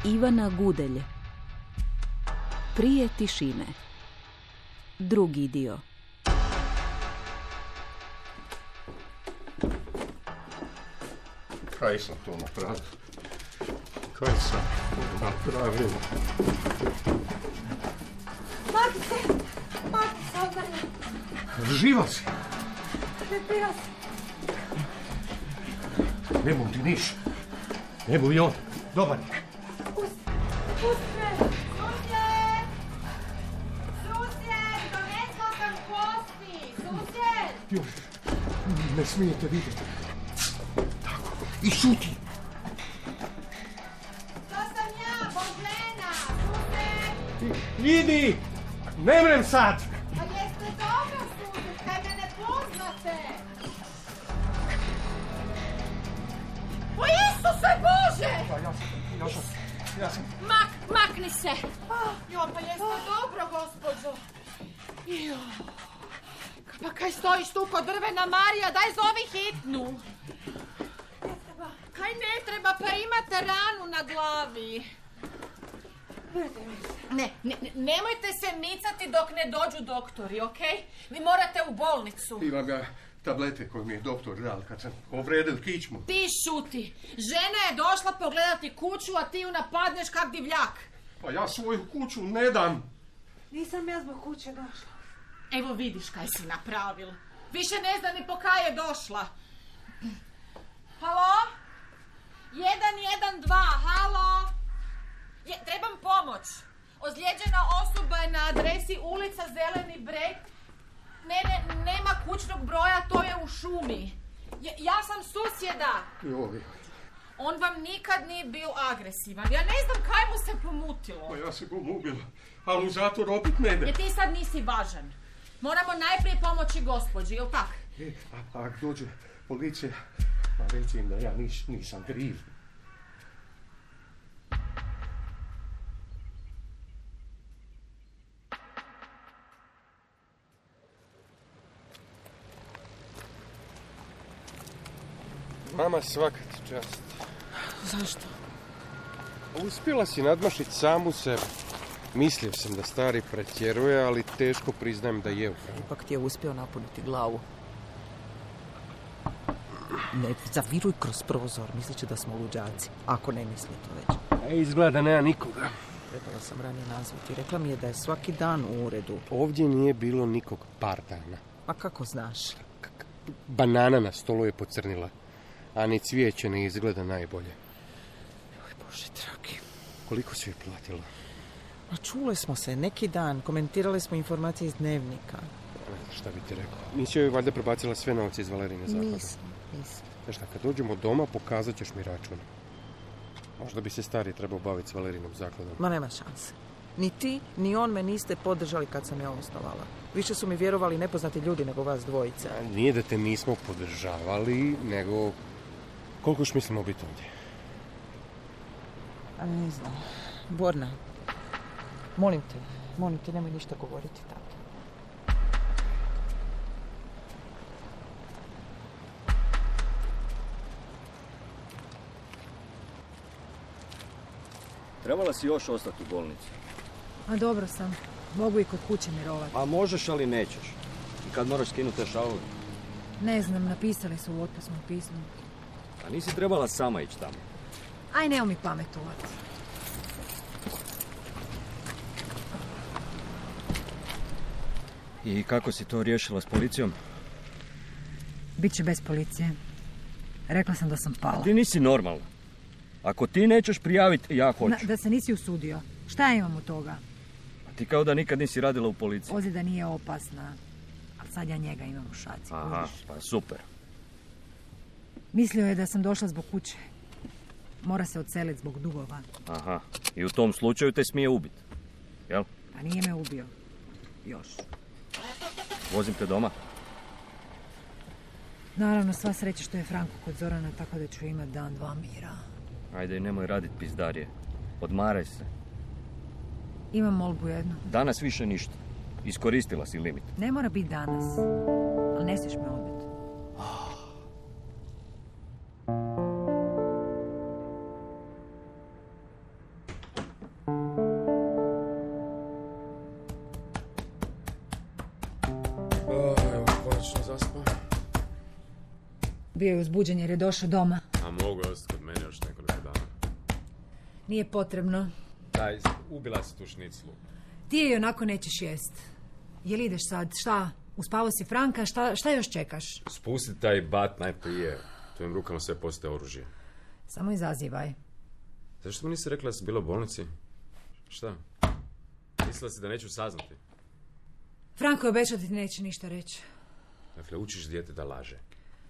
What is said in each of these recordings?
Ivana Gudelj. Prije tišine. Drugi dio. Kaj sam to napravio? Kaj sam napravio? Maki se, odvrni. Živa si? Prepira se. Ne bom ti niš. Ne bom i on. Dobar je. Pusti me. Susjed! Susjed! Donesla sam kosti! Susjed! Još, ne smijete vidjeti. Tako, i šuti. To sam ja, Božena! Susjed! Idi! Ne vrem sad! Pa jeste dobro, susjed, kaj me ne poznate? O Isuse Bože! Ja sam... Makni se! Jo, pa jeste dobro, gospođo? Jo. Pa kaj stojiš tu kod drvena, Marija? Daj zovi hitnu. Kaj ne treba, pa imate ranu na glavi. Nemojte se micati dok ne dođu doktori, okej? Vi morate u bolnicu. Imam ja tablete koje mi je doktor dal kad sam povredil kičmu. Ti šuti. Žena je došla pogledati kuću, a ti ju napadneš kak divljak. Pa ja svoju kuću ne dam. Nisam ja zbog kuće došla. Evo vidiš kaj si napravil. Više ne zna ni po kaj je došla. Halo? 112, halo? Trebam pomoć. Ozlijeđena osoba je na adresi ulica Zeleni breg. Nema kućnog broja, to je u šumi. Ja sam susjeda. Joj. On vam nikad nije bio agresivan. Ja ne znam kaj mu se pomutilo. Pa ja se gom ubila, ali u zatvor opet ne ide. Jer ti sad nisi važan. Moramo najprije pomoći gospođi, jel tak? A ako dođe policija, pa reći im da ja nisam kriv. Mama, svaka ti čast. Zašto? Uspjela si nadmašiti samu sebe. Mislio sam da stari pretjeruje, ali teško priznajem da je u pravu. Ipak ti je uspio napuniti glavu. Ne zaviruj kroz prozor, misleći da smo luđaci. Ako ne misli to već. Izgleda nema nikoga. Trebala sam ranije nazvati. Rekla mi je da je svaki dan u uredu. Ovdje nije bilo nikog par dana. A kako znaš? Banana na stolu je pocrnila, a ni cvijeće ne izgleda najbolje. Oj, Bože dragi. Koliko si joj platila? A čule smo se neki dan, komentirali smo informacije iz dnevnika. Ne znam šta bi ti rekao. Nisi joj valjda prebacila sve novce iz Valerine zaklade? Nisam. Znaš šta, kad dođemo doma pokazat ćeš mi račun. Možda bi se stari trebao baviti s Valerinom zakladom. Ma nema šanse. Ni ti, ni on me niste podržali kad sam ja osnovala. Više su mi vjerovali nepoznati ljudi nego vas dvojica. Nije da te nismo podržavali, nego koliko još mislimo biti ovdje? A ne znam. Borna, molim te, nemoj ništa govoriti tako. Trebala si još ostati u bolnici. A dobro sam. Mogu i kod kuće mirovati. A možeš, ali nećeš. I kad moraš skinuti te šalove? Ne znam, napisali su u otpusnom pismu. A nisi trebala sama ići tamo. Aj, neo mi pametovati. I kako si to riješila s policijom? Biće bez policije. Rekla sam da sam pala. Ti nisi normalna. Ako ti nećeš prijaviti, ja hoću. Da se nisi usudio. Šta ja imam od toga? A ti kao da nikad nisi radila u policiji. Ozljeda nije opasna. Ali sad ja njega imam u šaci. Aha, pa super. Mislio je da sam došla zbog kuće. Mora se odseliti zbog dugova. Aha, i u tom slučaju te smije ubiti. Jel? Pa nije me ubio. Još. Vozim te doma? Naravno, sva sreća što je Franko kod Zorana, tako da ću imat dan, dva mira. Ajde i nemoj radit pizdarije. Odmaraj se. Imam molbu jednu. Danas više ništa. Iskoristila si limit. Ne mora biti danas, ali ne smiješ me odbiti. Bio je uzbuđen jer je došao doma. A mogu je ostati kod mene još nekoliko dana. Nije potrebno. Daj, ubila si tu šniclu. Ti je onako nećeš jest. Jel ideš sad? Šta? Uspavao si Franka? Šta još čekaš? Spusti taj bat najprije. Tvojim rukama sve postaje oružje. Samo izazivaj. Zašto mi nisi rekla da si bila u bolnici? Šta? Mislila si da neću saznati? Franko je obećao da ti neće ništa reći. Dakle, učiš dijete da laže.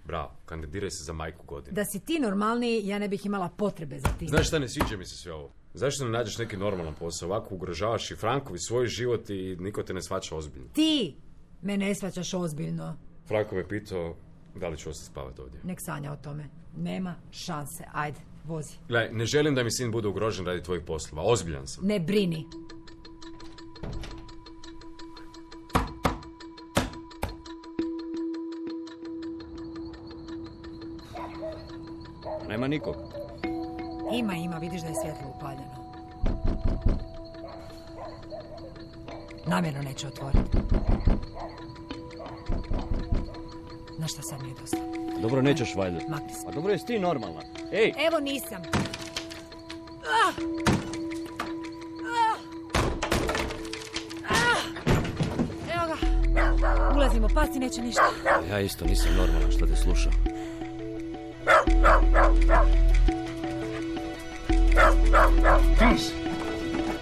Bravo, kandidiraj se za majku godine. Da si ti normalniji, ja ne bih imala potrebe za ti. Znaš šta, ne sviđa mi se sve ovo. Zašto ne nađeš neki normalan posao? Ovako ugrožavaš i Frankovi svoj život i niko te ne shvaća ozbiljno. Ti me ne shvaćaš ozbiljno. Franko me pitao da li ću ostati spavati ovdje. Nek sanja o tome. Nema šanse. Ajde, vozi. Gledaj, ne želim da mi sin bude ugrožen radi tvojih poslova. Ozbiljan sam. Ne brini. Nema nikog. Ima, vidiš da je svjetlo upaljeno. Namjerno neće otvoriti. Na šta sad mi je dosta? Dobro, nećeš valjda. Makni se. A dobro, jesi ti normalna? Ej! Evo nisam. Evo ga. Ulazimo, pasti neće ništa. Ja isto nisam normalan što te slušam.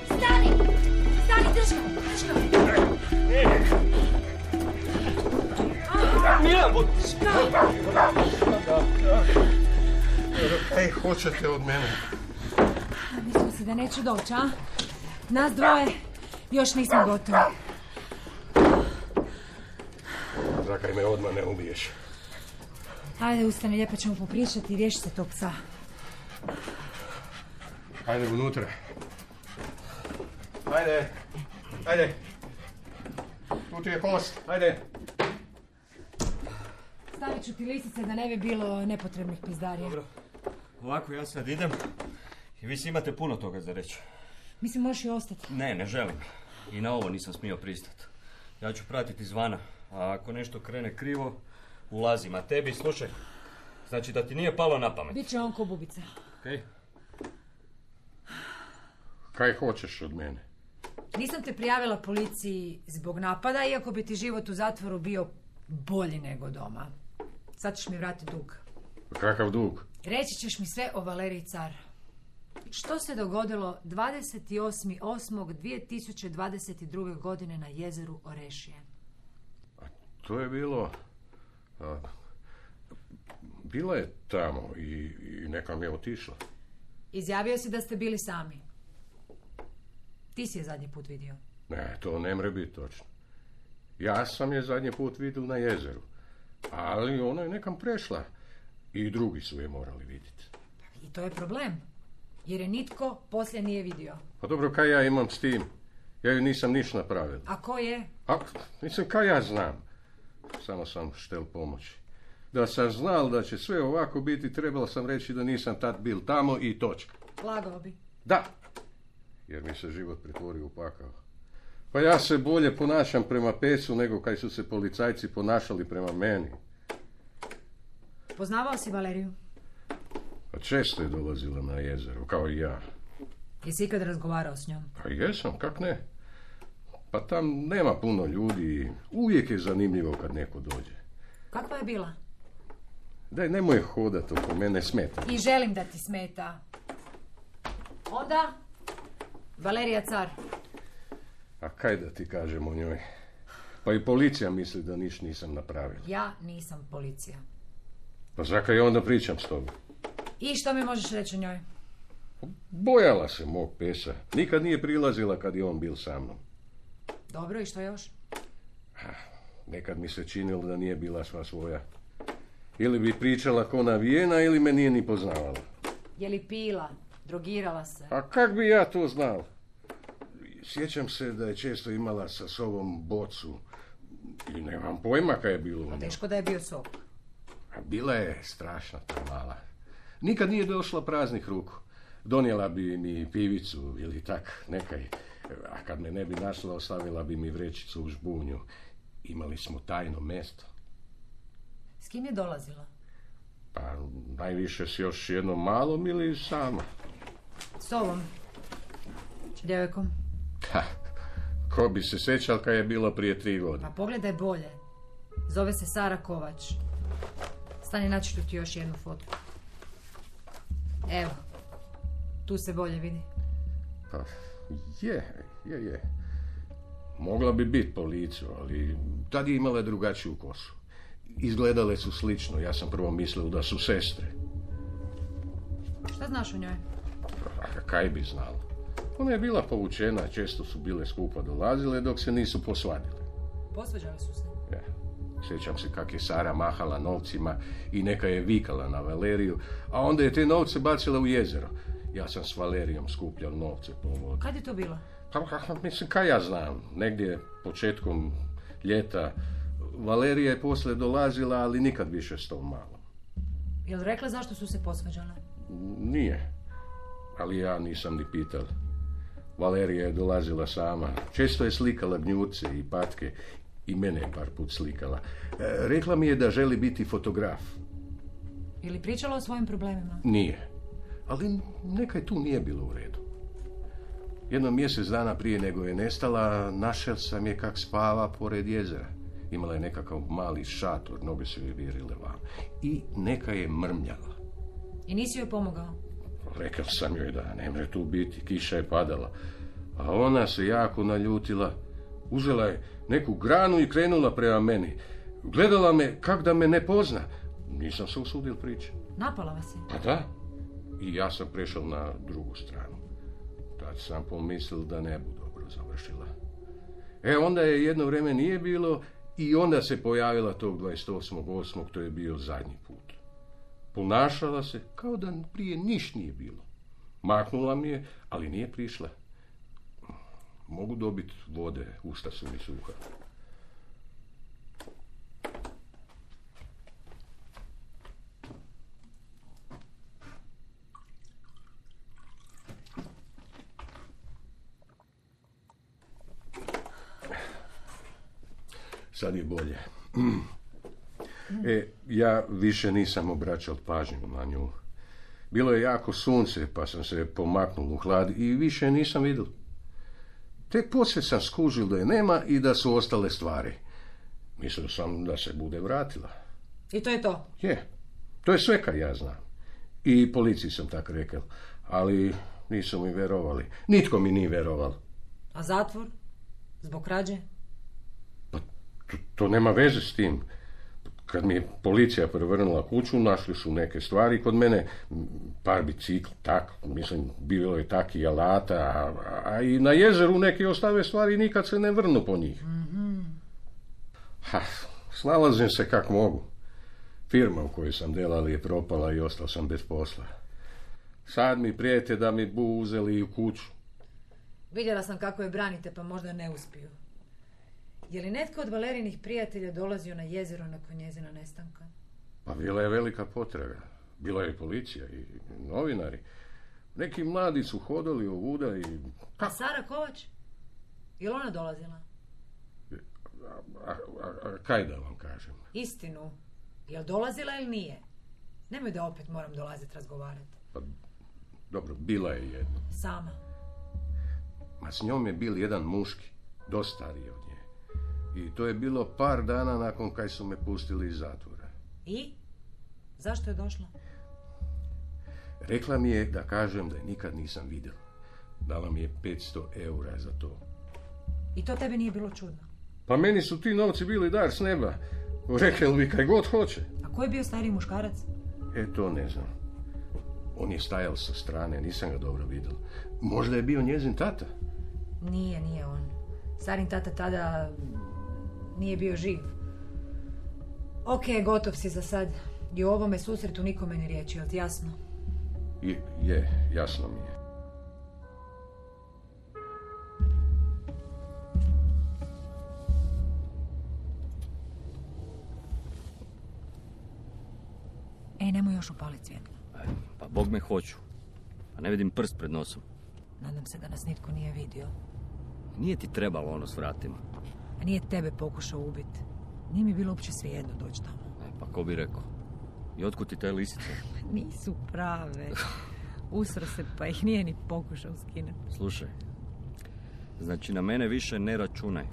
Stani, drži ga. Milan, Ej, hoćete od mene? Mislio si da neću doći, a? Nas dvoje još nismo gotovi. Zakaj me odmah ne ubiješ? Ajde, ustani, lijepo ćemo popričati i riješi se tog psa. Ajde unutra. Ajde. Tu ti je kost, ajde. Stavit ću ti lisice da ne bi bilo nepotrebnih pizdarija. Dobro. Ovako ja sad idem i vi si imate puno toga za reći. Mislim, možeš i ostati. Ne želim. I na ovo nisam smio pristati. Ja ću pratiti izvana, a ako nešto krene krivo, ulazim. A tebi, slušaj, znači da ti nije palo na pamet. Biće on ko bubica. Okej? Kaj hoćeš od mene? Nisam te prijavila policiji zbog napada, iako bi ti život u zatvoru bio bolji nego doma. Sad ćeš mi vratiti dug. Kakav dug? Reći ćeš mi sve o Valeriji Car. Što se dogodilo 28.8.2022. godine na jezeru Orešije? To je bilo... Bila je tamo i nekam je otišla. Izjavio si da ste bili sami. Ti si je zadnji put vidio. Ne, to ne mre biti točno. Ja sam je zadnji put vidio na jezeru. Ali ona je nekam prešla. I drugi su je morali vidjeti. I to je problem. Jer je nitko poslije nije vidio. Pa dobro, kaj ja imam s tim? Ja ju nisam ništa napravila. A ko je? Mislim, kaj ja znam? Samo sam štel pomoći. Da sam znal da će sve ovako biti, trebalo sam reći da nisam tad bil tamo i točka. Lagao bi. Da, jer mi se život pretvorio u pakao. Pa ja se bolje ponašam prema pecu nego kaj su se policajci ponašali prema meni. Poznavao si Valeriju? Pa često je dolazila na jezero, kao i ja. Jesi ikad razgovarao s njom? Pa jesam, kak ne? Pa tam nema puno ljudi i uvijek je zanimljivo kad neko dođe. Kakva je bila? Daj, nemoj hodat oko mene, smeta. I želim da ti smeta. Onda, Valerija Car. A kaj da ti kažem o njoj? Pa i policija misli da niš nisam napravila. Ja nisam policija. Pa zakaj onda pričam s tobom? I što mi možeš reći o njoj? Bojala se mog pesa. Nikad nije prilazila kad je on bil sa mnom. Dobro, i što još? Nekad mi se činilo da nije bila sva svoja. Ili bi pričala ko navijena, ili me nije ni poznavala. Je li pila? Drogirala se? A kak bi ja to znao? Sjećam se da je često imala sa sobom bocu. I nemam pojma kaj je bilo u njoj. Teško da je bio sok. A bila je strašna ta mala. Nikad nije došla praznih ruku. Donijela bi mi pivicu ili tak nekaj. A kad me ne bi našla, ostavila bi mi vrećicu u žbunju. Imali smo tajno mjesto. S kim je dolazila? Pa najviše s još jednom malom ili sama? S ovom. Djevojkom. Ha, ko bi se sjećal kad je bilo prije 3 godine. Pa pogledaj bolje. Zove se Sara Kovač. Stani, naći ću ti još jednu fotku. Evo. Tu se bolje vidi. Pa, je. Mogla bi biti po licu, ali tad je imala drugačiju kosu. Izgledale su slično, ja sam prvo mislio da su sestre. Šta znaš o njoj? A kaj bi znala? Ona je bila povučena, često su bile skupa dolazile dok se nisu posvadile. Posvađali su se? Ja. Sjećam se kak je Sara mahala novcima i neka je vikala na Valeriju, a onda je te novce bacila u jezero. Ja sam s Valerijom skupljao novce po vodi. Kad je to bilo? Pa, mislim, kaj ja znam, negdje početkom ljeta. Valerija je poslije dolazila, ali nikad više s tom malom. Jel rekla zašto su se posvađale? Nije, ali ja nisam ni pital. Valerija je dolazila sama. Često je slikala gnjurce i patke i mene je par put slikala. Rekla mi je da želi biti fotograf. Je li pričala o svojim problemima? Nije, ali nekaj tu nije bilo u redu. Jedno mjesec dana prije nego je nestala, našel sam je kak spava pored jezera. Imala je nekakav mali šator, noge su joj virile van. I neka je mrmljala. I nisi joj pomogao? Rekao sam joj da ne može tu biti, kiša je padala. A ona se jako naljutila. Uzela je neku granu i krenula prema meni. Gledala me kak da me ne pozna. Nisam se usudio pričati. Napala vas je? Pa da. I ja sam prešao na drugu stranu. Tad sam pomislil da ne bu dobro završila. Onda je jedno vrijeme nije bilo i onda se pojavila tog 28.8. To je bio zadnji put. Ponašala se kao da prije niš nije bilo. Maknula mi je, ali nije prišla. Mogu dobiti vode, usta su mi suha. Sad je bolje. Ja više nisam obraćao pažnju na nju. Bilo je jako sunce, pa sam se pomaknul u hlad i više nisam vidio. Tek poslije sam skužil da je nema i da su ostale stvari. Mislio sam da se bude vratila. I to je to? Je. To je sve kad ja znam. I policiji sam tak rekao. Ali nisu mi verovali. Nitko mi nije veroval. A zatvor? Zbog krađe? Pa to nema veze s tim. Kad mi je policija prevrnula kuću, našli su neke stvari kod mene, par bicikl, tak, mislim, bilo je tak i alata, a i na jezeru neke ostave stvari nikad se ne vrnu po njih. Mm-hmm. Snalazim se kak mogu. Firma u kojoj sam delali je propala i ostao sam bez posla. Sad mi prijete da mi bu uzeli i u kuću. Vidjela sam kako je branite, pa možda ne uspiju. Je li netko od Valerinih prijatelja dolazio na jezero nakon njezina nestanka? Pa bila je velika potraga. Bila je policija i novinari. Neki mladi su hodali ovuda i... A Sara Kovač? Je li ona dolazila? A kaj da vam kažem? Istinu. Je li dolazila ili nije? Nemoj da opet moram dolaziti razgovarati. Pa, dobro, bila je jedna. Sama? Ma s njom je bil jedan muški, dosta stariji od nje. I to je bilo par dana nakon kaj su me pustili iz zatvora. I? Zašto je došla? Rekla mi je da kažem da je nikad nisam vidjela. Dala mi je 500 eura za to. I to tebi nije bilo čudno? Pa meni su ti novci bili dar s neba. Rekli bi kaj god hoće. A ko je bio stariji muškarac? To ne znam. On je stajal sa strane, nisam ga dobro vidio. Možda je bio njezin tata? Nije on. Starin tata tada nije bio živ. Ok, gotov si za sad. I o ovome susretu nikome ne riječi, jel ti jasno? Je, jasno mi je. Nemoj još upaliti svjetlo. Pa Bog me hoću. Pa ne vidim prst pred nosom. Nadam se da nas nitko nije vidio. Nije ti trebalo ono s vratima. A nije tebe pokušao ubiti. Nije mi bilo uopće svejedno doći tamo. Pa ko bi rekao? I otkud ti te lisice? Nisu prave. Usro se pa ih nije ni pokušao skinuti. Slušaj, znači na mene više ne računaj.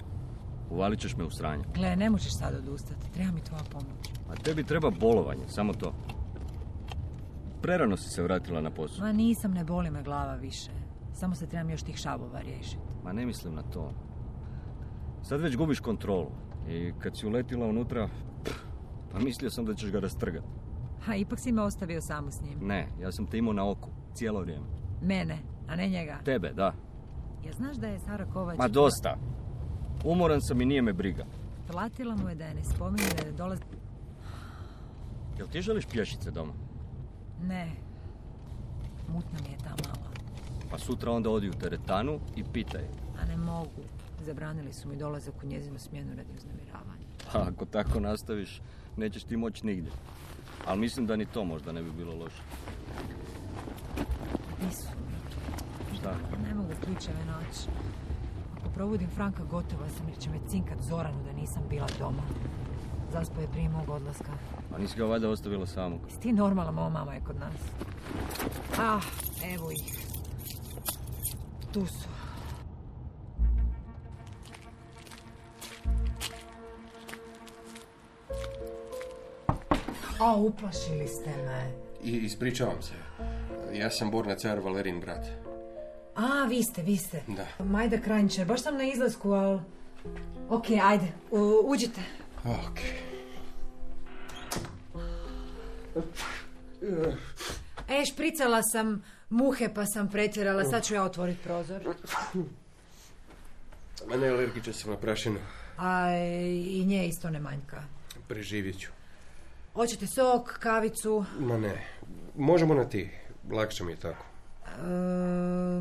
Uvalit ćeš me u sranje. Gle, ne možeš sad odustati. Treba mi tvoja pomoć. A tebi treba bolovanje, samo to. Prerano si se vratila na posao. Ma nisam, ne boli me glava više. Samo se trebam još tih šavova riješiti. Ma ne mislim na to. Sad već gubiš kontrolu. I kad si uletila unutra, pa mislio sam da ćeš ga rastrgati. Ha, ipak si me ostavio samo s njim. Ne, ja sam te imao na oku, cijelo vrijeme. Mene, a ne njega. Tebe, da. Ja znaš da je Sara Kovač... Ma dosta. Umoran sam i nije me briga. Platila mu je da je ne spominje da je dolazi... Jel ti želiš pješice doma? Ne. Mutna mi je ta mala. Pa sutra onda odi u teretanu i pitaj. A ne mogu. Zabranili su mi dolazak u njezinu smjenu radi uznemiravanja. Pa ako tako nastaviš, nećeš ti moći nigdje. Ali mislim da ni to možda ne bi bilo loše. Nisu. Šta? Ne mogu ključeve naći. Ako probudim Franka, gotova sam jer će me cinkat Zoranu da nisam bila doma. Zaspao je prije mog odlaska. A nisi ga valjda ostavila samog? Jesi ti normalna, moja mama je kod nas. Ah, evo ih. Tu su. A, uplašili ste me. I ispričavam se. Ja sam Borna car, Valerin brat. A, vi ste. Da. Majda Krajničar, baš sam na izlasku, ali... Ok, ajde, uđite. Ok. Špricala sam muhe pa sam pretjerala, sad ću ja otvoriti prozor. Ma ne, alergičan sam na prašinu. A i nje isto ne manjka. Preživjet ću. Hoćete sok, kavicu? Ma ne, možemo na ti, lakše mi je tako.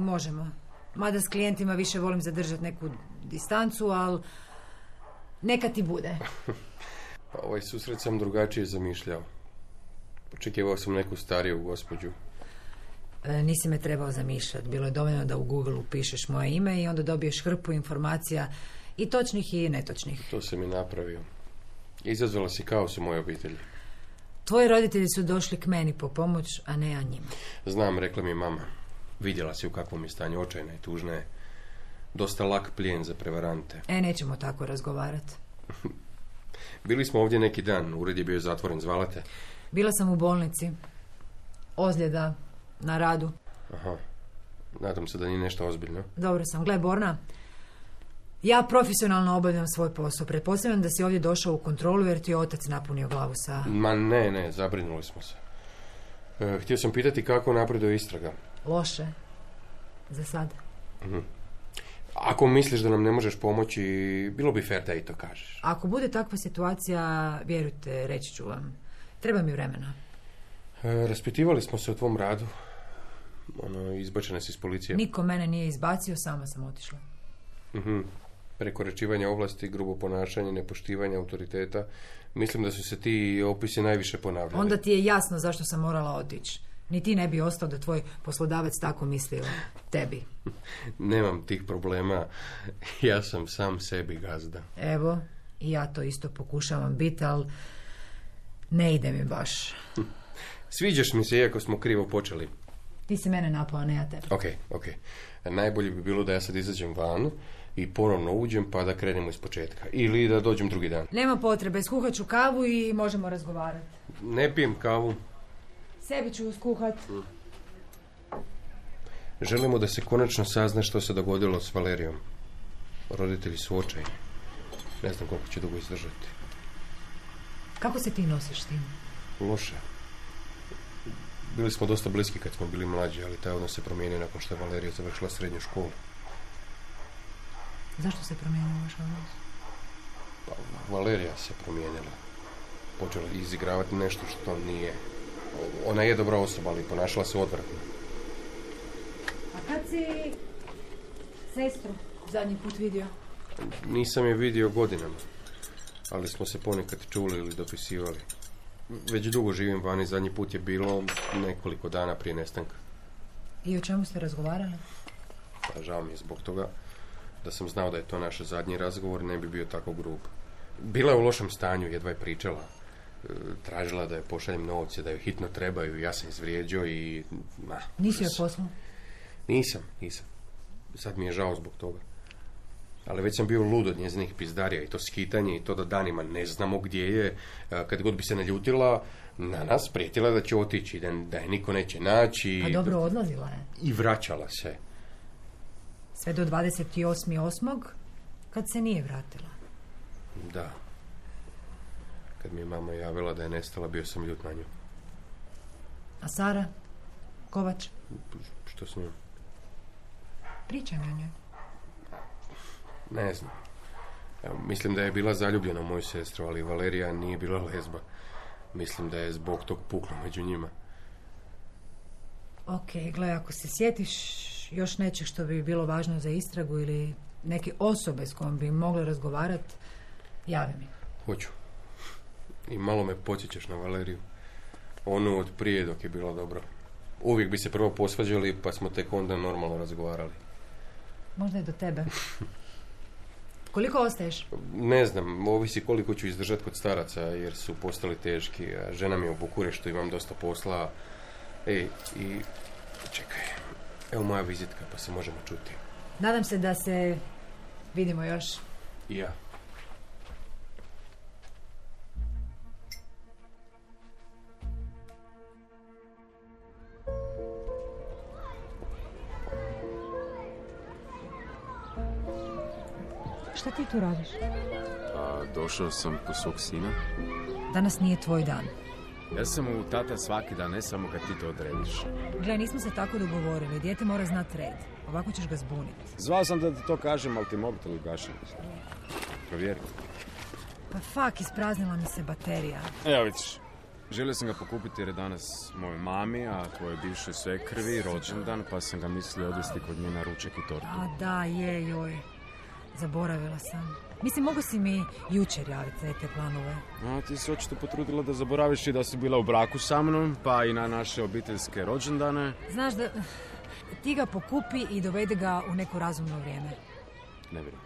Možemo. Mada s klijentima više volim zadržati neku distancu, ali neka ti bude. Pa ovaj susret sam drugačije zamišljao. Očekivao sam neku stariju gospođu. Nisi me trebao zamišljati. Bilo je dovoljno da u Google upišeš moje ime i onda dobiješ hrpu informacija i točnih i netočnih. To sam i napravio. Izazvala si kaos u mojoj obitelji. Tvoji roditelji su došli k meni po pomoć, a ne ja njima. Znam, rekla mi mama. Vidjela si u kakvom je stanju, očajna i tužna je. Dosta lak plijen za prevarante. Nećemo tako razgovarati. Bili smo ovdje neki dan, ured je bio zatvoren, zvala te? Bila sam u bolnici. Ozljeda na radu. Aha, nadam se da nije nešto ozbiljno. Dobro sam. Gle, Borna, ja profesionalno obavljam svoj posao. Pretpostavljam da si ovdje došao u kontrolu jer ti je otac napunio glavu sa... Ma ne, zabrinuli smo se. Htio sam pitati kako napreduje istraga. Loše. Za sad. Ako misliš da nam ne možeš pomoći, bilo bi fair da i to kažeš. Ako bude takva situacija, vjerujte, reći ću vam. Treba mi vremena. Raspitivali smo se o tvom radu. Izbačena si iz policije. Niko mene nije izbacio, sama sam otišla. Prekoračivanje ovlasti, grubo ponašanje, nepoštivanje autoriteta. Mislim da su se ti opisi najviše ponavljali. Onda ti je jasno zašto sam morala otići. Ni ti ne bi ostao da tvoj poslodavac tako misli o tebi. Nemam tih problema. Ja sam sam sebi gazda. Evo, i ja to isto pokušavam biti, ali ne ide mi baš. Sviđaš mi se, iako smo krivo počeli. Ti si mene napao, ne ja tebe. Ok. Najbolje bi bilo da ja sad izađem van i ponovno uđem pa da krenemo iz početka. Ili da dođem drugi dan. Nema potrebe, skuhat ću kavu i možemo razgovarati. Ne pijem kavu. Sebi ću skuhat. Želimo da se konačno sazna što se dogodilo s Valerijom. Roditelji su očajni. Ne znam koliko će dugo izdržati. Kako se ti nosiš s tim? Loše. Bili smo dosta bliski kad smo bili mlađi, ali taj odnos se promijenio nakon što je Valerija završila srednju školu. Zašto se promijenio vaš odnos? Pa, Valerija se promijenila. Počela izigravati nešto što nije. Ona je dobra osoba, ali ponašala se odvratno. A kad si sestru zadnji put vidio? Nisam je vidio godinama, ali smo se ponekad čuli ili dopisivali. Već dugo živim vani, zadnji put je bilo nekoliko dana prije nestanka. I o čemu ste razgovarali? Pa žao mi je zbog toga. Da sam znao da je to naš zadnji razgovor, ne bi bio tako grub. Bila je u lošem stanju, jedva je pričala. Tražila da je pošaljem novce, da joj hitno trebaju, ja sam izvrijeđao i... Nisi joj poslao? Nisam. Sad mi je žao zbog toga. Ali već sam bio lud od njezinih pizdarija i to skitanje i to da danima ne znamo gdje je. Kad god bi se naljutila na nas, prijetila da će otići, da je niko neće naći. Pa dobro, odlazila je. I vraćala se. Sve do 28.8. kad se nije vratila. Da. Kad mi je mama javila da je nestala, bio sam ljut na nju. A Sara? Kovač? Što s njom? Pričaj mi o njoj. Ne znam. Mislim da je bila zaljubljena u moju sestru, ali Valerija nije bila lezba. Mislim da je zbog tog puklo među njima. Ok, gle, ako se sjetiš još nečeg što bi bilo važno za istragu ili neke osobe s kojom bi mogla razgovarati, javi mi. Hoću. I malo me podsjećaš na Valeriju. Onu od prije dok je bilo dobro. Uvijek bi se prvo posvađali, pa smo tek onda normalno razgovarali. Možda je do tebe. Koliko ostaješ? Ne znam, ovisi koliko ću izdržati kod staraca, jer su postali teški. A žena mi je u Bukureštu, imam dosta posla. I čekaj, evo moja vizitka, pa se možemo čuti. Nadam se da se vidimo još. I ja. Šta ti tu radiš? Pa, došao sam po svog sina. Danas nije tvoj dan. Ja sam u tata svaki dan, ne samo kad ti to odrediš. Gle, nismo se tako dogovorili. Dijete mora znati red. Ovako ćeš ga zbuniti. Zvao sam da ti to kažem, ali ti mobitel ugašen. Provjeri. Pa fak, ispraznila mi se baterija. Evo vidiš, želio sam ga pokupiti jer je danas mojoj mami, a tvojoj bivšoj svekrvi rođendan, pa sam ga mislio odvesti kod nje na ručak i tortu. A da, joj. Zaboravila sam. Mislim, mogu si mi jučer javiti za te planove. A ti si očito potrudila da zaboraviš i da si bila u braku sa mnom, pa i na naše obiteljske rođendane. Znaš da ti ga pokupi i dovede ga u neko razumno vrijeme. Ne vjerujem.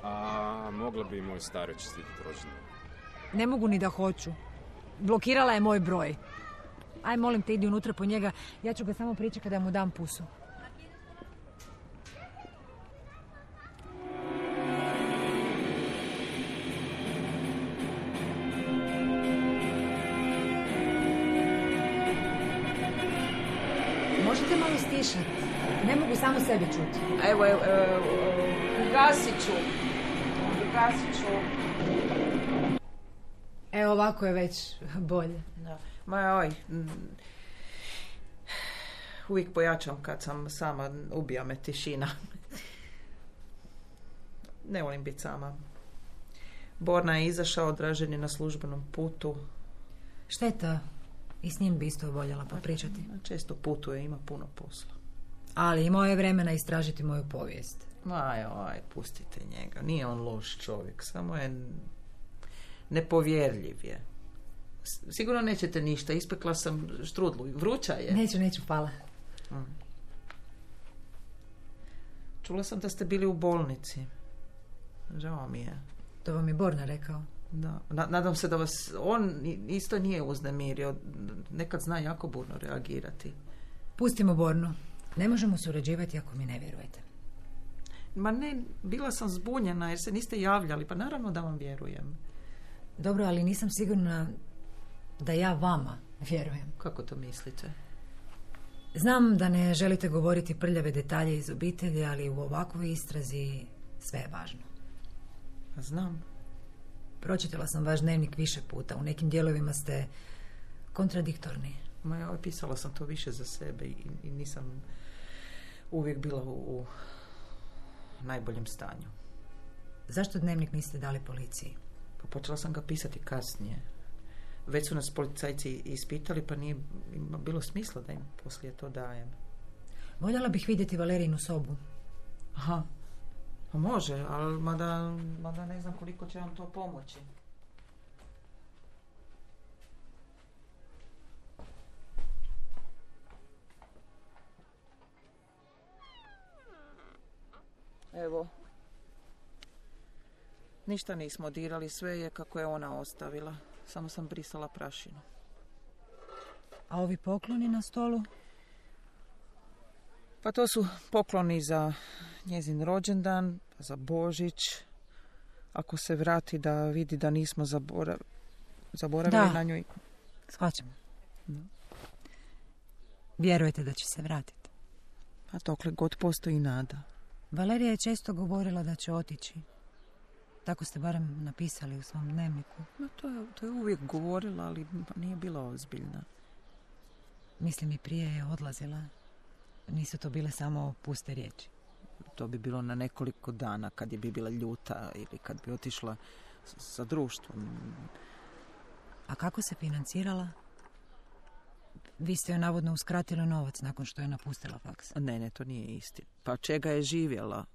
A mogla bi i moj staro čestitati rođendan. Ne mogu ni da hoću. Blokirala je moj broj. Aj, molim te, idi unutra po njega. Ja ću ga samo pričekati da mu dam pusu. Možete malo stišati. Ne mogu samo sebe čuti. Evo, ugasit ću. Evo, ovako je već bolje. Da. Ma uvijek pojačam kad sam sama, ubija me tišina. Ne volim biti sama. Borna je izašao, Dražen je na službenom putu. Šteta. I s njim bi isto voljela popričati. Često putuje, ima puno posla. Ali imao je vremena istražiti moju povijest. Pustite njega. Nije on loš čovjek, samo je nepovjerljiv je. Sigurno nećete ništa, ispekla sam štrudlu. Vruća je. Neću, hvala. Čula sam da ste bili u bolnici. Žao mi je. To vam je Borna rekao. Da. Nadam se da vas on isto nije uznemirio. Nekad zna jako burno reagirati. Pustimo Bornu. Ne možemo surađivati ako mi ne vjerujete. Ma ne, bila sam zbunjena jer se niste javljali. Pa naravno da vam vjerujem. Dobro, ali nisam sigurna da ja vama vjerujem. Kako to mislite? Znam da ne želite govoriti prljave detalje iz obitelji, ali u ovakvoj istrazi sve je važno. Pa znam. Pročitala sam vaš dnevnik više puta. U nekim dijelovima ste kontradiktorni. Pisala sam to više za sebe i nisam uvijek bila u najboljem stanju. Zašto dnevnik niste dali policiji? Pa počela sam ga pisati kasnije. Već su nas policajci ispitali, pa nije bilo smisla da im poslije to dajem. Voljela bih vidjeti Valerijinu sobu. Aha. Pa može, ali mada ne znam koliko će vam to pomoći. Evo. Ništa nismo dirali, sve je kako je ona ostavila. Samo sam brisala prašinu. A ovi pokloni na stolu? Pa to su pokloni za njezin rođendan, za Božić. Ako se vrati da vidi da nismo zaboravili na njoj. Shvaćam. Vjerujete da će se vratiti? A dokle god postoji nada. Valerija je često govorila da će otići. Tako ste barem napisali u svom dnevniku. No, to je uvijek govorila, ali nije bila ozbiljna. Mislim, i prije je odlazila. Nisu to bile samo puste riječi. To bi bilo na nekoliko dana kad bi bila ljuta ili kad bi otišla sa društvom. A kako se financirala? Vi ste joj navodno uskratili novac nakon što je napustila faks. Ne, to nije istina. Pa čega je živjela?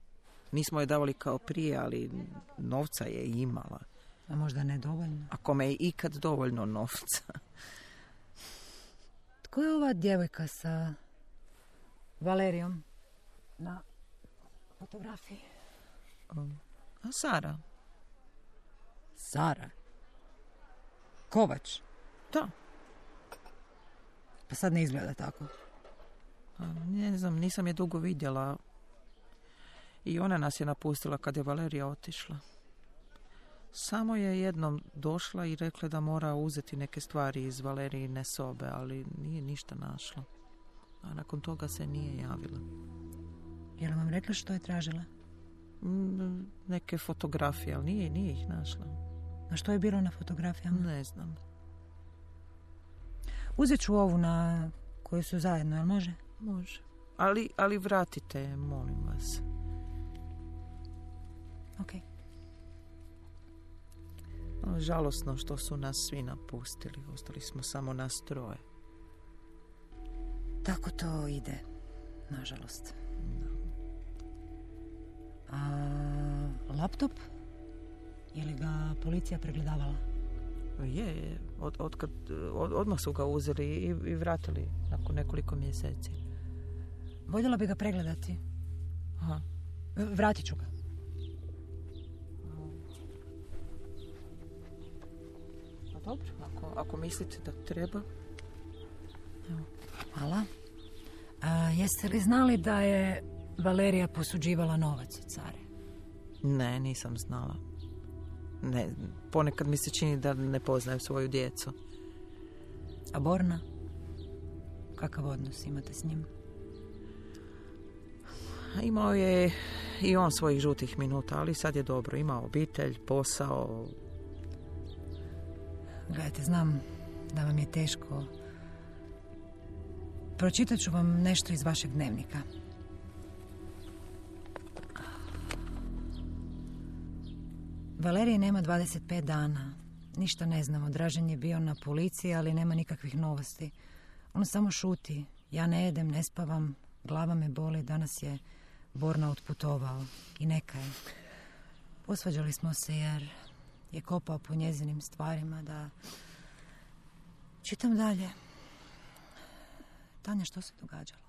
Nismo je davali kao prije, ali novca je imala. A možda ne dovoljno? A kome je ikad dovoljno novca? Tko je ova djevojka sa Valerijom na fotografiji? A Sara. Sara? Kovač? Da. Pa sad ne izgleda tako. Ne znam, nisam je dugo vidjela. I ona nas je napustila kad je Valerija otišla. Samo je jednom došla i rekla da mora uzeti neke stvari iz Valerijine sobe, ali nije ništa našla. A nakon toga se nije javila. Je li vam rekla što je tražila? Neke fotografije, ali nije ih našla. A što je bilo na fotografijama? Ne znam. Uzet ću ovu na koju su zajedno, jel može? Može. Ali vratite je, molim vas. Ok. Žalosno što su nas svi napustili. Ostali smo samo nas troje. Tako to ide, nažalost. A laptop? Je li ga policija pregledavala? Je. Odmah su ga uzeli i vratili nakon nekoliko mjeseci. Voljela bi ga pregledati. Aha. Vratit ću ga. Pa dobro, ako mislite da treba. Evo, hvala. Jeste li znali da je Valerija posuđivala novac od Sare? Ne, nisam znala. Ne, ponekad mi se čini da ne poznajem svoju djecu. A Borna? Kakav odnos imate s njim? Imao je i on svojih žutih minuta, ali sad je dobro. Ima obitelj, posao. Gledajte, znam da vam je teško. Pročitat ću vam nešto iz vašeg dnevnika. Valerije nema 25 dana. Ništa ne znamo. Dražen je bio na policiji, ali nema nikakvih novosti. On samo šuti. Ja ne jedem, ne spavam, glava me boli. Danas je Borna otputovao. I neka je. Posvađali smo se jer je kopao po njezinim stvarima da... Čitam dalje. Tanja, što se događalo?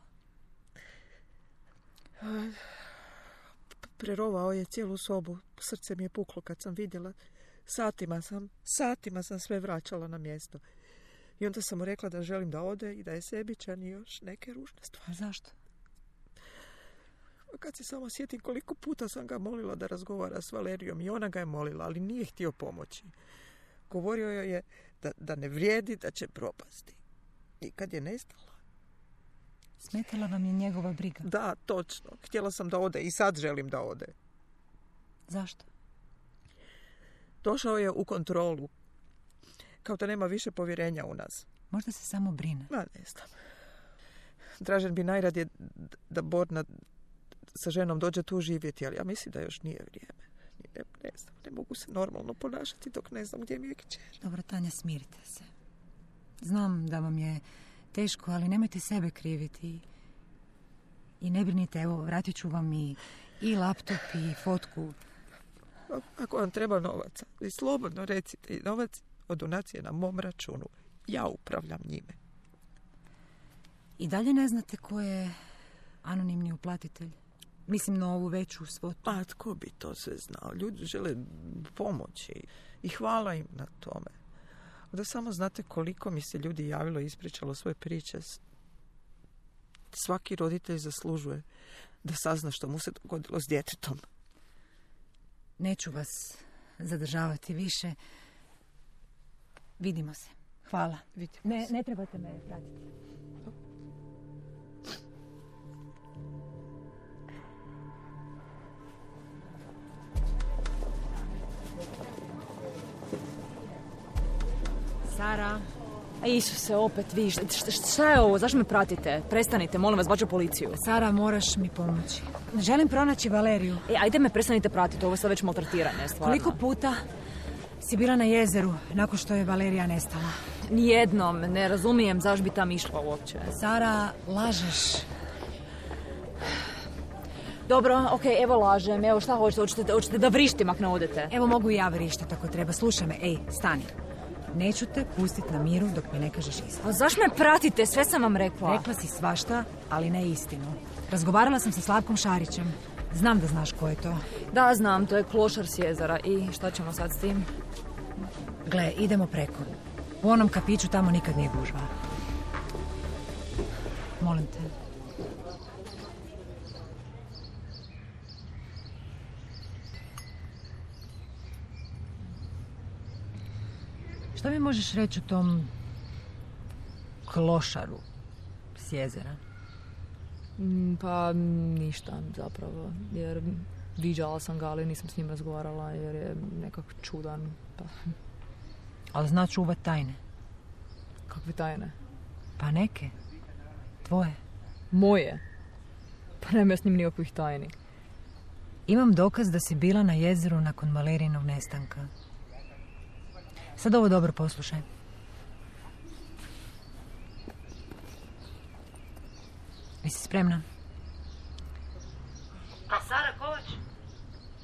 Prerovao je cijelu sobu. Srce mi je puklo kad sam vidjela. Satima sam sve vraćala na mjesto. I onda sam mu rekla da želim da ode i da je sebičan i još neke ružne stvari. Zašto? Kad se samo sjetim koliko puta sam ga molila da razgovara s Valerijom i ona ga je molila, ali nije htio pomoći. Govorio joj je da ne vrijedi, da će propasti. I kad je nestala... Smetala vam je njegova briga? Da, točno. Htjela sam da ode i sad želim da ode. Zašto? Došao je u kontrolu. Kao da nema više povjerenja u nas. Možda se samo brine. Ma, ne znam. Dražen bi najradije da Borna sa ženom dođe tu živjeti, ali ja mislim da još nije vrijeme. Ne znam, ne mogu se normalno ponašati dok ne znam gdje mi je kćer. Dobro, Tanja, smirite se. Znam da vam je teško, ali nemojte sebe kriviti. I ne brinite, evo, vratit ću vam i laptop i fotku. Ako vam treba novaca, vi slobodno recite, i novac od donacije na mom računu. Ja upravljam njime. I dalje ne znate ko je anonimni uplatitelj? Mislim na ovu veću svotu. Pa tko bi to sve znao? Ljudi žele pomoći i hvala im na tome. Da samo znate koliko mi se ljudi javilo i ispričalo svoje priče. Svaki roditelj zaslužuje da sazna što mu se dogodilo s djetetom. Neću vas zadržavati više. Vidimo se. Hvala. Ne trebate me pratiti. Sara. Isuse, opet vi. Šta je ovo? Zašto me pratite? Prestanite, molim vas, baću policiju. Sara, moraš mi pomoći. Želim pronaći Valeriju. Ajde me prestanite pratiti, ovo je sad već maltretiranje, stvarno. Koliko puta si bila na jezeru nakon što je Valerija nestala? Nijednom, ne razumijem zašto bi tam išla uopće. Sara, lažeš. Dobro, okej, evo lažem, evo šta hoćete da vrištim ako ne odete? Evo mogu i ja vrištati ako treba. Slušaj me, stani. Neću te pustiti na miru dok mi ne kažeš istinu. Pa zašto me pratite? Sve sam vam rekla. Rekla si svašta, ali ne istinu. Razgovarala sam sa Slavkom Šarićem. Znam da znaš ko je to. Da, znam, to je klošar s jezera. I šta ćemo sad s tim? Gle, idemo preko. U onom kafiću tamo nikad nije gužva. Molim te. Šta mi možeš reći o tom klošaru s jezera? Pa ništa zapravo, jer viđala sam ga, ali nisam s njim razgovarala jer je nekako čudan. Pa. Ali zna čuvat tajne. Kakve tajne? Pa neke. Tvoje. Moje? Pa nema ja s njim nikakvih tajni. Imam dokaz da si bila na jezeru nakon Valerijinog nestanka. Sad ovo dobro poslušaj. Jesi spremna? A Sara Kovač?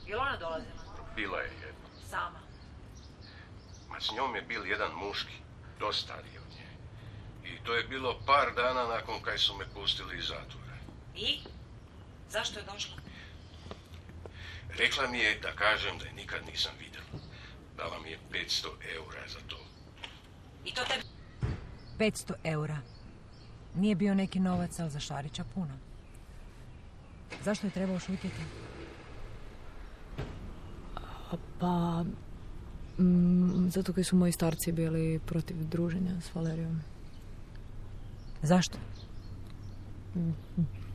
Je li ona dolazila? Bila je jedna. Sama? Ma s njom je bil jedan muški, dosta stariji od nje. I to je bilo par dana nakon kaj su me pustili iz zatvora. I? Zašto je došla? Rekla mi je da kažem da je nikad nisam vidjela. Dala mi je 500 eura za to. I to tebi? 500 eura. Nije bio neki novac, ali za Šarića puno. Zašto je trebao šutjeti? Pa... zato kaj su moji starci bili protiv druženja s Valerijom. Zašto?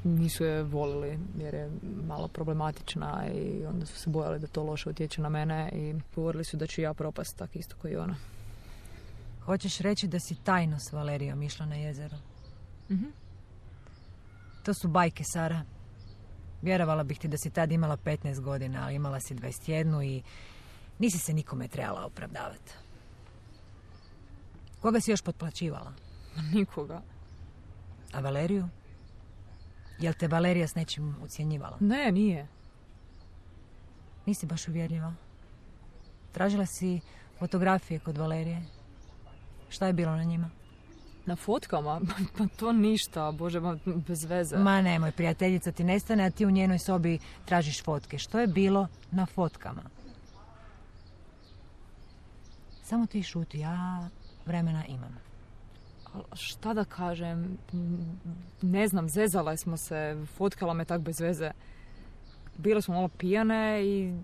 Nisu je volili jer je malo problematična i onda su se bojali da to loše utječe na mene i govorili su da ću ja propast tak isto kao i ona. Hoćeš reći da si tajno s Valerijom išla na jezero? Mhm. To su bajke, Sara. Vjerovala bih ti da si tad imala 15 godina, ali imala si 21 i nisi se nikome trebala opravdavati. Koga si još potplaćivala? Nikoga. A Valeriju? Jel te Valerija s nečim ucjenjivala? Ne, nije. Nisi baš uvjerljiva. Tražila si fotografije kod Valerije. Šta je bilo na njima? Na fotkama? Pa to ništa, Bože, bez veze. Ma nemoj, prijateljica ti nestane, a ti u njenoj sobi tražiš fotke. Što je bilo na fotkama? Samo ti šuti, ja vremena imam. Šta da kažem? Ne znam, zezale smo se, fotkala me tak bez veze. Bile smo malo pijane i...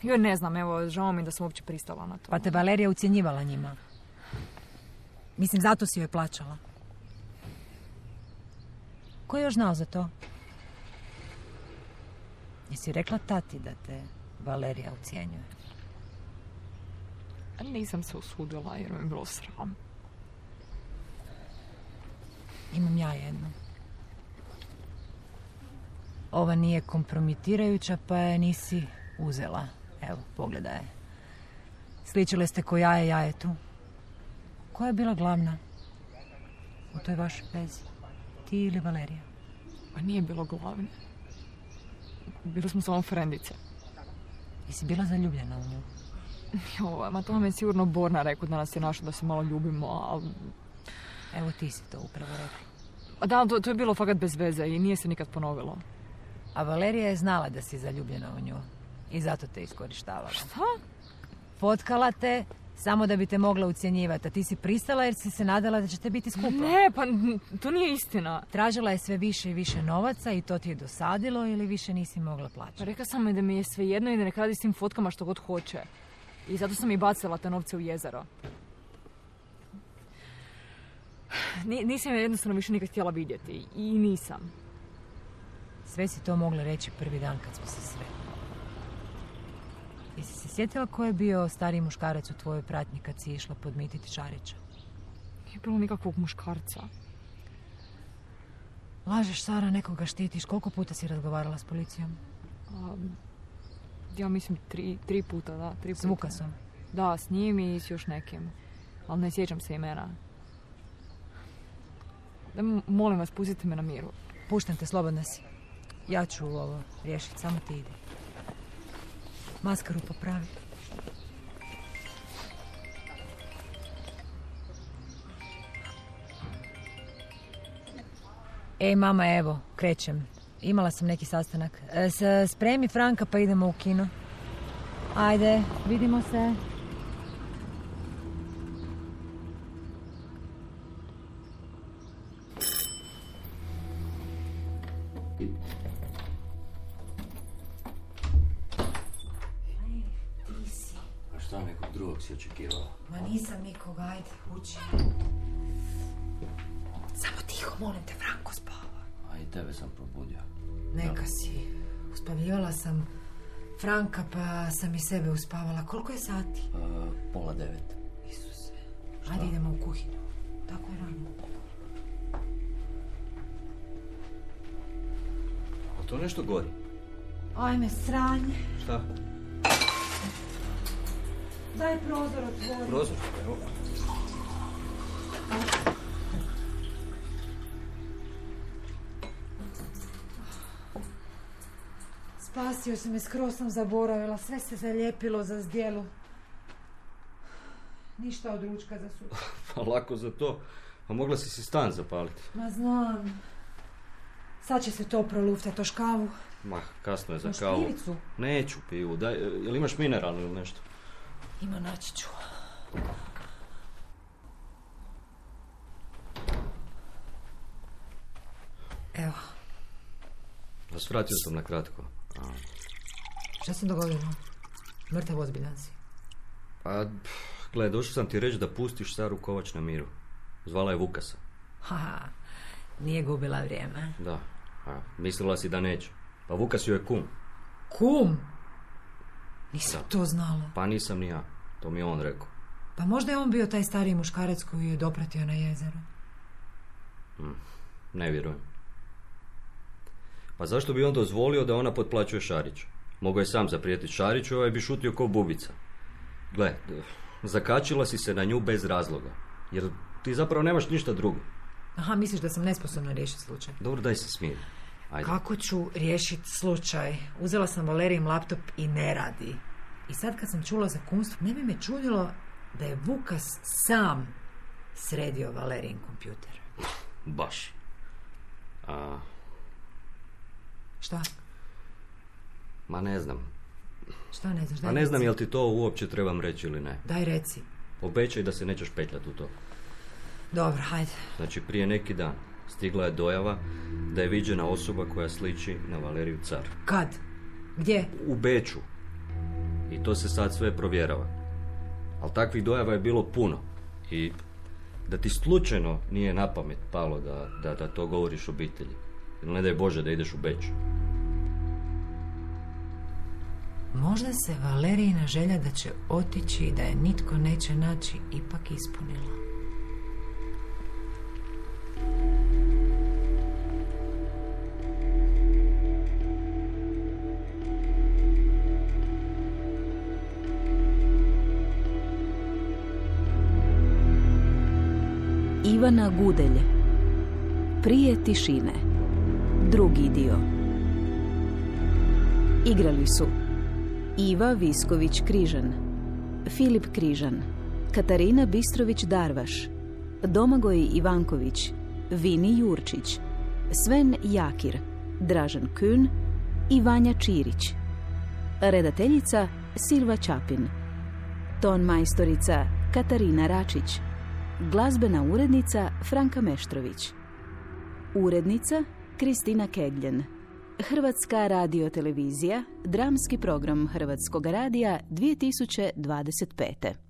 Joj, ne znam, evo, žao mi da sam uopće pristala na to. Pa te Valerija ucjenjivala njima. Mislim, zato si joj plaćala. Ko je još znao za to? Jesi rekla tati da te Valerija ucjenjuje? Nisam se usudila jer mi je bilo sram. Imam ja jednu. Ova nije kompromitirajuća, pa je nisi uzela. Evo, pogledaj je. Sličile ste ko jaje jajetu. Koja je bila glavna u toj vašoj vezi? Ti ili Valerija? Pa nije bilo glavne. Bili smo samo frendice. Jesi bila zaljubljena u nju? Jo, ma to vam je sigurno Borna rekao da nas je našao da se malo ljubimo, ali... Evo ti si to upravo rekla. Da, to je bilo fakat bez veze i nije se nikad ponovilo. A Valerija je znala da si zaljubljena u nju i zato te iskorištavala. Šta? Fotkala te Samo da bi te mogla ucjenjivati, a ti si pristala jer si se nadala da ćete biti skupa. Ne, pa to nije istina. Tražila je sve više i više novaca i to ti je dosadilo ili više nisi mogla plaćati? Pa rekla sam mi da mi je sve jedno i da neka radi s tim fotkama što god hoće. I zato sam i bacila te novce u jezero. Nisam je jednostavno više nikad htjela vidjeti. I nisam. Sve si to mogla reći prvi dan kad smo se sreli. Jesi se sjetila ko je bio stariji muškarac u tvojoj pratnji kad si išla podmititi Šarića? Nije bilo nikakvog muškarca. Lažeš, Sara, nekoga štitiš. Koliko puta si razgovarala s policijom? Ja mislim tri puta, da. 3 puta. S Vukasom? Da, s njim i s još nekim. Ali ne sjećam se imena. Molim vas, pustite me na miru. Puštam te, slobodna si. Ja ću ovo riješiti, samo ti ide. Maskaru popravi. Ej, mama, evo, krećem. Imala sam neki sastanak. Spremi Franka pa idemo u kino. Ajde, vidimo se. Šta nekog drugog si očekivala? Ma nisam nikoga, ajde, uči. Samo tiho, molim te, Franko spava. A i tebe sam probudio. Neka si. Uspavljivala sam Franka pa sam i sebe uspavala. Koliko je sati? 8:30. Isuse. Ajde idemo u kuhinju. Tako je rano. A to nešto gori? Ajme, sranje. Šta? Daj prozor otvori. Prozor? Evo. Spasio si me, skroz sam zaboravila. Sve se zalijepilo za zdjelu. Ništa od ručka za sutra. Pa lako za to. A mogla si stan zapaliti. Ma znam. Sad će se to proluftati, oš kavu. Ma, kasno je za kavu. Špiricu? Neću pivu. Daj, jel imaš mineralnu ili nešto? Ima, naći ću. Evo. Svratio sam na kratko. Šta se dogodilo? Mrtav ozbiljan si. Pa, gledaj, došao sam ti reći da pustiš Saru Kovač na miru. Zvala je Vukasa. Haha, nije gubila vrijeme. Da, mislila si da neće. Pa Vukas joj je kum. Kum? Nisam to znala. Pa nisam ni ja, to mi je on rekao. Pa možda je on bio taj stariji muškarac koji je dopratio na jezero. Ne vjerujem. Pa zašto bi on dozvolio da ona potplaćuje Šarić? Mogao je sam zaprijetiti Šariću, ovaj bi šutio ko bubica. Gle, zakačila si se na nju bez razloga. Jer ti zapravo nemaš ništa drugo. Aha, misliš da sam nesposobna riješiti slučaj? Dobro, daj se smiri. Ajde. Kako ću riješiti slučaj? Uzela sam Valerijin laptop i ne radi. I sad kad sam čula za kumstvo, ne bi me čudilo da je Vukas sam sredio Valerijin kompjuter. Baš. Šta? Ma ne znam. Šta ne znaš? Ma ne znam jel ti to uopće trebam reći ili ne. Daj reci. Obećaj da se nećeš petljati u to. Dobro, hajde. Znači prije neki dan stigla je dojava da je viđena osoba koja sliči na Valeriju Car. Kad? Gdje? U Beču. I to se sad sve provjerava. Ali takvih dojava je bilo puno. I da ti slučajno nije na pamet palo da to govoriš obitelji. Ili ne daj Bože da ideš u Beč. Možda se Valerijina želja da će otići i da je nitko neće naći ipak ispunila. Ivana Gudelj. Prije tišine. Drugi dio. Igrali su Iva Visković-Križan, Filip Križan, Katarina Bistrović-Darvaš, Domagoj Ivanković, Vini Jurčić, Sven Jakir, Dražen Kün i Vanja Čirić. Redateljica Silva Čapin. Ton majstorica Katarina Račić. Glazbena urednica Franka Meštrović. Urednica Kristina Kegljen. Hrvatska radiotelevizija, dramski program Hrvatskog radija 2025.